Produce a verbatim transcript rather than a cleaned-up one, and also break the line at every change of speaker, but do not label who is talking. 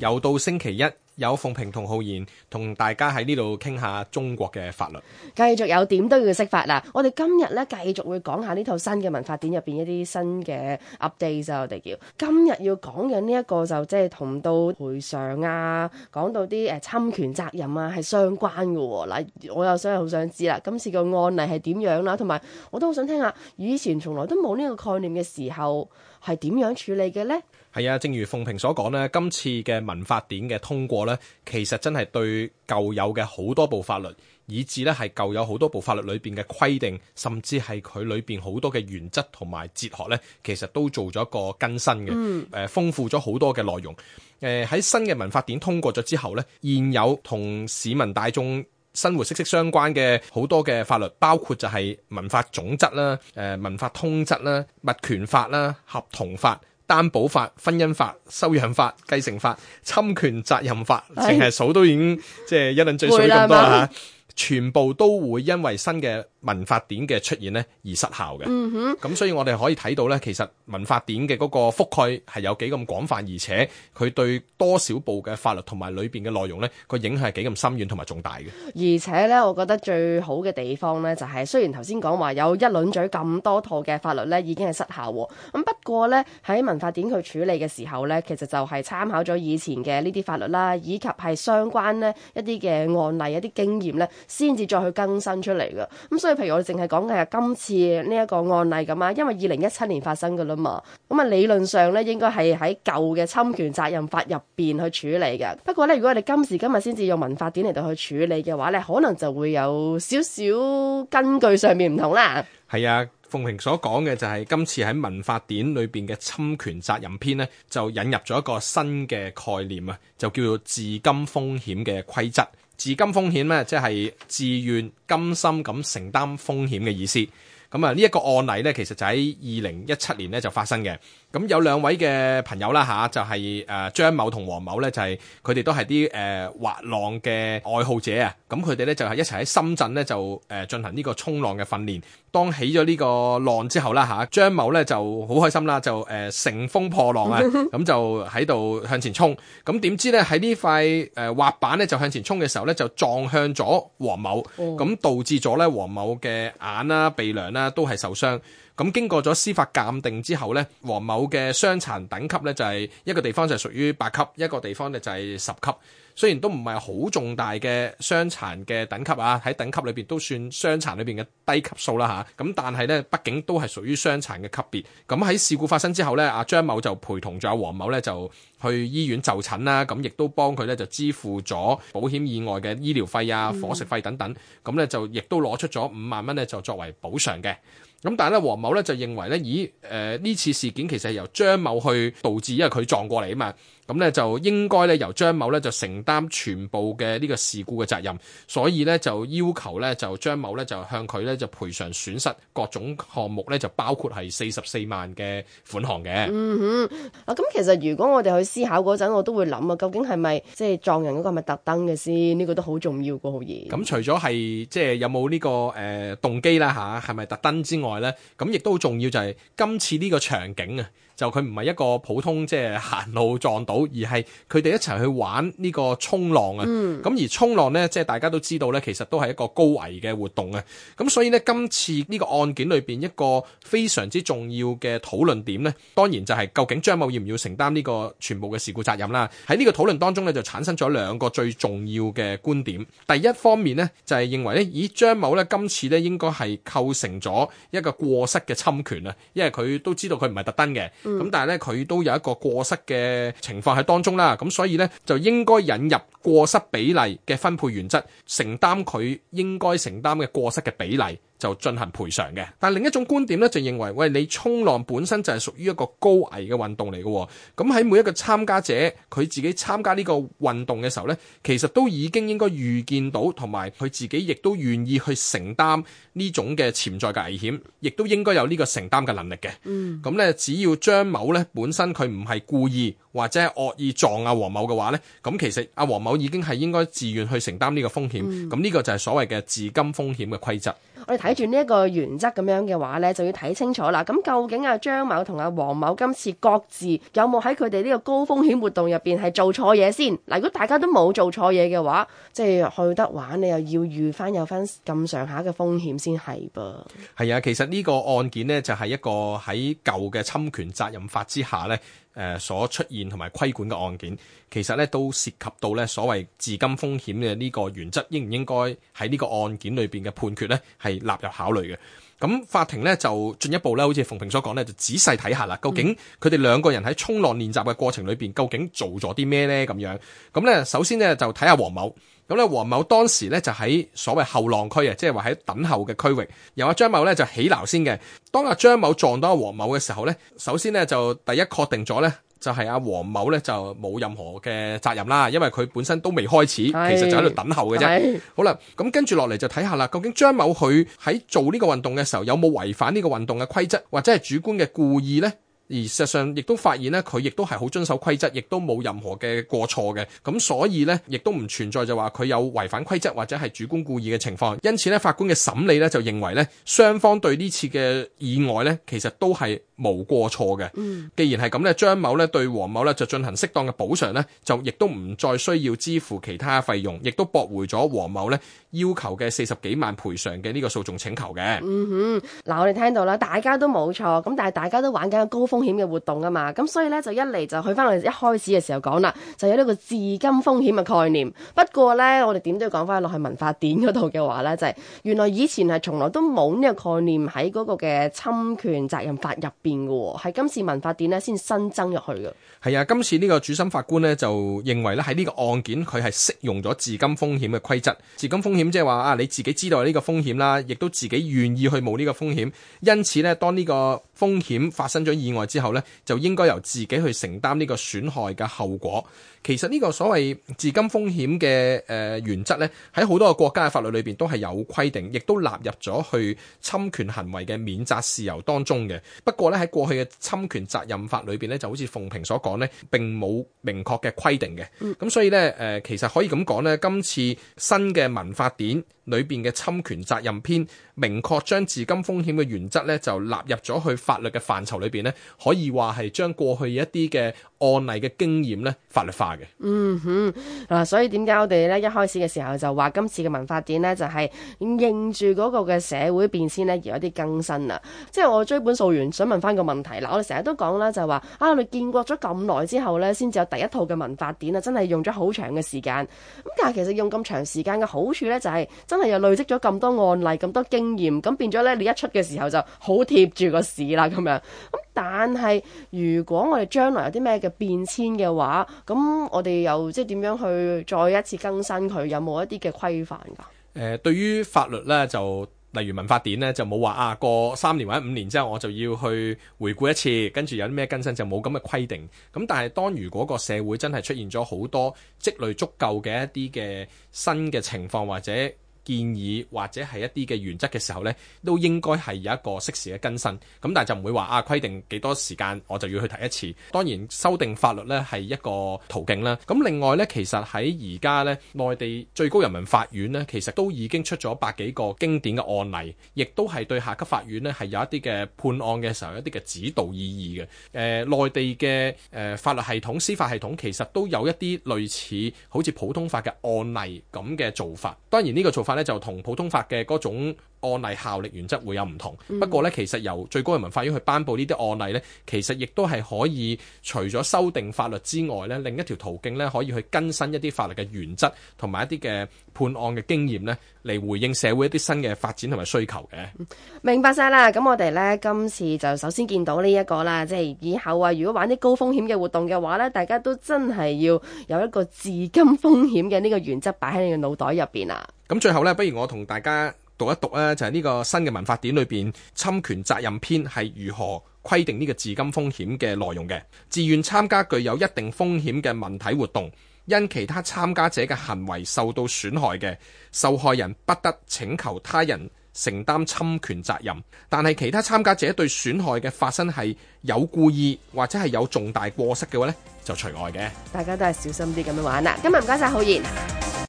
又到星期一，有鳳萍同浩然同大家喺呢度傾下中國嘅法律。
繼續有點都要識法啦！我哋今日咧繼續會講下呢套新嘅民法典入邊一啲新嘅 update 啊，我哋叫今日要講嘅呢一個就即係同到賠償啊，講到啲誒侵權責任啊係相關嘅喎。嗱，我又想好想知啦，今次個案例係點樣啦？同埋我都好想聽下，以前從來都冇呢個概念嘅時候係點樣處理嘅呢？
係啊，正如鳳萍所講呢，今次嘅民法典嘅通過呢，其實真係對舊有嘅好多部法律，以至呢係舊有好多部法律裏邊嘅規定，甚至係佢裏邊好多嘅原則同埋哲學呢，其實都做咗一個更新嘅，誒、嗯呃、豐富咗好多嘅內容。誒、呃、喺新嘅民法典通過咗之後呢，現有同市民大眾生活息息相關嘅好多嘅法律，包括就係民法總則啦、誒、呃、民法通則啦、物權法啦、合同法、擔保法、婚姻法、收養法、繼承法、侵權責任法，淨係數都已經即係一輪嘴水咁多啦，全部都會因為新嘅民法典嘅出現呢而失效嘅。嗯哼，咁所以我哋可以睇到呢，其實民法典嘅嗰個覆蓋係有幾咁廣泛，而且佢對多少部嘅法律同埋裏邊嘅內容呢個影響係幾咁深遠同埋重大嘅。
而且呢，我覺得最好嘅地方呢，就係雖然頭先講話有一輪嘴咁多套嘅法律呢已經係失效喎，咁不過呢，喺民法典佢處理嘅時候呢，其實就係參考咗以前嘅呢啲法律啦，以及係相關呢一啲嘅案例、一啲經驗呢，先至再去更新出嚟嘅。咁所以譬如我哋淨係講嘅係今次呢一個案例咁啊，因為二零一七年發生㗎啦嘛，咁啊理論上咧應該係喺舊嘅侵權責任法入邊去處理嘅。不過咧，如果我哋今時今日先至用民法典嚟到去處理嘅話咧，可能就會有少少根據上面唔同啦。
係啊，鳳萍所講嘅就係今次喺民法典裏邊嘅侵權責任篇呢，就引入咗一個新嘅概念啊，就叫做自甘風險嘅規則。自甘風險咧，即係自願甘心咁承擔風險嘅意思。咁啊，呢一個案例咧，其實就喺二零一七年咧就發生嘅。咁有兩位嘅朋友啦吓，就係誒張某同黃某咧，就係佢哋都係啲誒滑浪嘅愛好者啊。咁佢哋咧就係一齊喺深圳咧就誒進行呢個衝浪嘅訓練。當起咗呢個浪之後啦吓，張某咧就好開心啦，就誒乘風破浪啊，咁就喺度向前衝。咁點知咧喺呢塊誒滑板咧就向前衝嘅時候咧就撞向咗黃某，咁導致咗咧黃某嘅眼啦、鼻梁啦都係受傷。咁經過咗司法鑑定之後咧，黃某嘅傷殘等級咧就係一個地方就係屬於八級，一個地方咧就係十級。雖然都唔係好重大嘅傷殘嘅等級啊，喺等級裏邊都算傷殘裏邊嘅低級數啦嚇。咁但係咧，畢竟都係屬於傷殘嘅級別。咁喺事故發生之後咧，阿張某就陪同咗阿黃某咧就去醫院就診啦。咁亦都幫佢咧就支付咗保險以外嘅醫療費啊、伙食費等等。咁咧就亦都攞出咗五萬蚊咧就作為補償嘅。咁但係咧，黃某咧就認為咧，咦誒呢、呃、次事件其實係由張某去導致，因為佢撞過嚟啊嘛。咁咧就應該咧由張某咧就承擔全部嘅呢個事故嘅責任，所以咧就要求咧就張某咧就向佢咧就賠償損失各種項目咧就包括係四十四萬嘅款項嘅。嗯
哼，啊咁其實如果我哋去思考嗰陣，我都會諗啊，究竟係咪即係撞人嗰個係咪特登嘅先？呢、這個都好重要個好嘢。
咁除咗係即係有冇呢、這個誒、呃、動機啦吓，係咪特登之外咧，咁亦都好重要就係今次呢個場景啊。就佢唔係一個普通即係行路撞到，而係佢哋一齊去玩呢個衝浪啊！咁、嗯、而衝浪呢，即係大家都知道呢，其實都係一個高危嘅活動啊！咁所以呢，今次呢個案件裏邊一個非常之重要嘅討論點呢，當然就係究竟張某要唔要承擔呢個全部嘅事故責任啦？喺呢個討論當中呢，就產生咗兩個最重要嘅觀點。第一方面呢，就係認為呢，咦張某呢今次呢應該係構成咗一個過失嘅侵權啊，因為佢都知道佢唔係特登嘅。咁、嗯、但係咧，佢都有一個過失嘅情況喺當中啦，咁所以咧就應該引入過失比例嘅分配原則，承擔佢應該承擔嘅過失嘅比例，就進行賠償嘅。但另一種觀點咧就認為，喂，你衝浪本身就係屬於一個高危嘅運動嚟嘅，咁喺每一個參加者佢自己參加呢個運動嘅時候咧，其實都已經應該預見到，同埋佢自己亦都願意去承擔呢種嘅潛在嘅危險，亦都應該有呢個承擔嘅能力嘅。嗯，咁咧只要張某咧本身佢唔係故意或者係惡意撞阿黃某嘅話咧，咁其實阿黃某已經係應該自願去承擔呢個風險。咁呢、嗯、個就係所謂嘅自甘風險嘅規則。
我哋睇住呢一個原則咁樣嘅話呢，就要睇清楚啦。咁究竟阿張某同阿黃某今次各自有冇喺佢哋呢個高風險活動入邊係做錯嘢先？嗱，如果大家都冇做錯嘢嘅話，即係去得玩，你又要預翻有翻咁上下嘅風險先係噃。
係啊，其實呢個案件呢，就係一個喺舊嘅侵權責任法之下呢，誒所出現同埋規管嘅案件，其實咧都涉及到咧所謂自甘風險嘅呢個原則，應唔應該喺呢個案件裏邊嘅判決咧係納入考慮嘅。咁法庭咧就進一步咧，好似馮平所講咧，就仔細睇下啦，究竟佢哋兩個人喺衝浪練習嘅過程裏邊，究竟做咗啲咩咧咁樣。咁咧首先咧就睇下黃某。咁咧，黃某當時咧就喺所謂後浪區啊，即係話喺等候嘅區域，由阿張某咧就起錨先嘅。當阿張某撞到阿黃某嘅時候咧，首先咧就第一確定咗咧，就係阿黃某咧就冇任何嘅責任啦，因為佢本身都未開始，其實就喺度等候嘅啫。好啦，咁跟住落嚟就睇下啦，究竟張某佢喺做呢個運動嘅時候有冇違反呢個運動嘅規則，或者係主觀嘅故意咧？而事實上亦都發現咧，佢亦都係好遵守規則，亦都冇任何嘅過錯嘅。咁所以咧，亦都唔存在就話佢有違反規則或者係主觀故意嘅情況。因此咧，法官嘅審理咧就認為咧，雙方對呢次嘅意外咧，其實都係無過錯嘅。嗯，既然係咁咧，張某咧對黃某咧就進行適當嘅補償咧，就亦都唔再需要支付其他費用，亦都駁回咗黃某咧要求嘅四十幾萬賠償嘅呢個訴訟請求嘅。
嗯哼，嗱我哋聽到啦，大家都冇錯，咁但係大家都玩緊個高風險嘅活動啊嘛，咁所以咧就一嚟就去翻我哋一開始嘅時候講啦，就有呢個自甘風險嘅概念。不過咧，我哋點都要講翻落去民法典嗰度嘅話咧，就係、是、原來以前係從來都冇呢個概念喺嗰個嘅侵權責任法入邊嘅，係今次民法典咧先新增入去嘅。
係啊，今次呢個主審法官咧就認為咧喺呢個案件佢係適用咗自甘風險嘅規則。自甘風險即係話啊，你自己知道有呢個風險啦，亦都自己願意去冒呢個風險，因此咧當呢個風險發生咗意外之後咧，就應該由自己去承擔呢個損害嘅後果。其實呢個所謂自甘風險嘅誒原則咧，喺好多個國家嘅法律裏邊都係有規定，亦都納入咗去侵權行為嘅免責事由當中嘅。不過咧喺過去嘅侵權責任法裏邊咧，就好似鳳平所講咧，並冇明確嘅規定嘅。咁、嗯、所以咧誒，其實可以咁講咧，今次新嘅民法典裏邊嘅侵權責任篇，明確將自甘風險嘅原則咧，就納入咗去法律嘅範疇裏邊咧，可以話係將過去一啲嘅案例嘅經驗咧法律化嘅。
嗯哼，嗱，所以點解我哋咧一開始嘅時候就話今次嘅民法典咧就係應住嗰個嘅社會變遷咧而有啲更新啦。即係我追本溯源，想問翻個問題嗱，我哋成日都講啦，就係話啊，我哋建國咗咁耐之後咧，先至有第一套嘅民法典啊，真係用咗好長嘅時間。咁但係其實用咁長時間嘅好處咧，就係真係又累積咗咁多案例、咁多經驗，咁變咗咧你一出嘅時候就好貼住個市啦咁樣。咁但係如果我哋將來有啲咩嘅變遷嘅話，咁我哋又即係點樣去再一次更新佢？有冇一啲嘅規範㗎？誒、
呃，對於法律咧，就例如民法典咧，就冇話啊過三年或者五年之後我就要去回顧一次，跟住有啲咩更新就冇咁嘅規定。咁但係當如果個社會真係出現咗好多積累足夠嘅一啲嘅新嘅情況或者建議或者係一啲嘅原則嘅時候呢，都應該係有一個適時嘅更新。咁但係就唔會話啊規定幾多時間我就要去提一次。當然修訂法律呢係一個途徑啦。咁另外呢，其實喺而家呢，內地最高人民法院呢，其實都已經出咗百幾個經典嘅案例，亦都係對下級法院呢係有一啲嘅判案嘅時候有一啲嘅指導意義嘅。誒、呃、內地嘅誒、呃、法律系統、司法系統其實都有一啲類似好似普通法嘅案例咁嘅做法。當然呢個做法咧就同普通法嘅嗰種案例效力原則會有唔同，嗯、不過咧其實由最高人民法院去頒布呢啲案例咧，其實亦都係可以除咗修訂法律之外咧，另一條途徑咧可以去更新一啲法律嘅原則同埋一啲嘅判案嘅經驗咧，嚟回應社會一啲新嘅發展同埋需求嘅。
明白晒啦，咁我哋咧今次就首先見到呢一個啦，即係以後啊，如果玩啲高風險嘅活動嘅話咧，大家都真係要有一個自甘風險嘅呢個原則擺喺你嘅腦袋入邊啊。咁
最後咧，不如我同大家讀一讀咧，就係呢個新嘅民法典裏邊侵權責任篇係如何規定呢個自甘風險嘅內容嘅。自願參加具有一定風險嘅文體活動，因其他參加者嘅行為受到損害嘅，受害人不得請求他人承擔侵權責任，但係其他參加者對損害嘅發生係有故意或者係有重大過失嘅話呢，就除外嘅。
大家都係小心啲咁樣玩啦。今日唔該晒浩然。